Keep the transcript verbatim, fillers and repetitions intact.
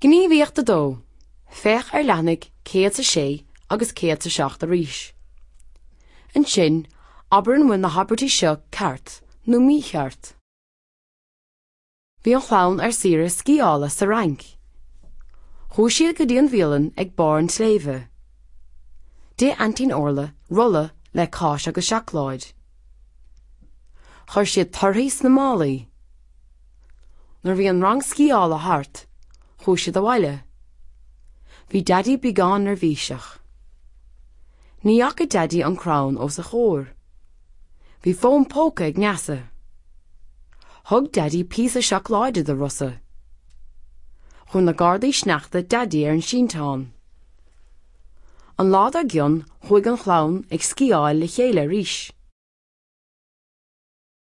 Gníomhaíocht a dó. Féach ar leathanaigh céad a sé agus céad a seacht arís. Ansin, abair an bhfuil na habairtí seo ceart nó mícheart. Bhí an chlann ar saoire sciála sa Fhrainc. Chuaigh siad go dtí an bhialann ag barr an tsléibhe. D'ith aintín Orla rolla le cáis agus seacláid. Chuir siad torthaí sna málaí. Nuair a bhí an rang sciála thart, chuaigh siad abhaile. Bhí Daidí beagán neirbhíseach. Ní fhaca Daidí an crann os a chomhair. Bhí fón póca ag Neasa. Thug Daidí píosa seacláide do Rosa. Chuir na gardaí sneachta Daidí ar an sínteán. An lá dár gcionn chuaigh an chlann ag sciáil le chéile arís.